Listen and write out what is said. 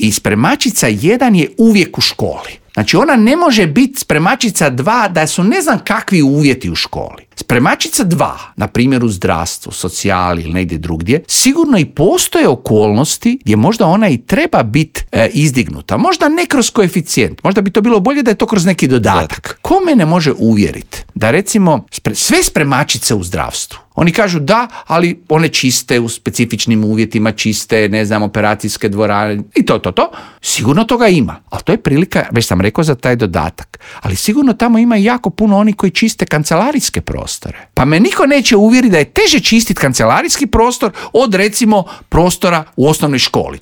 I spremačica 1 je uvijek u školi. Znači ona ne može biti spremačica 2 da su ne znam kakvi uvjeti u školi. Spremačica 2, na primjer u zdravstvu, socijali ili negdje drugdje, sigurno i postoje okolnosti gdje možda ona i treba biti izdignuta. Možda ne kroz koeficijent, možda bi to bilo bolje da je to kroz neki dodatak. Ko mene može uvjeriti da recimo sve spremačice u zdravstvu, oni kažu da, ali one čiste u specifičnim uvjetima, čiste, ne znam, operacijske dvorane i to. Sigurno toga ima, ali to je prilika, već sam rekao, za taj dodatak. Ali sigurno tamo ima jako puno oni koji čiste kancelarijske prostore. Pa me niko neće uvjeriti da je teže čistiti kancelarijski prostor od recimo prostora u osnovnoj školi.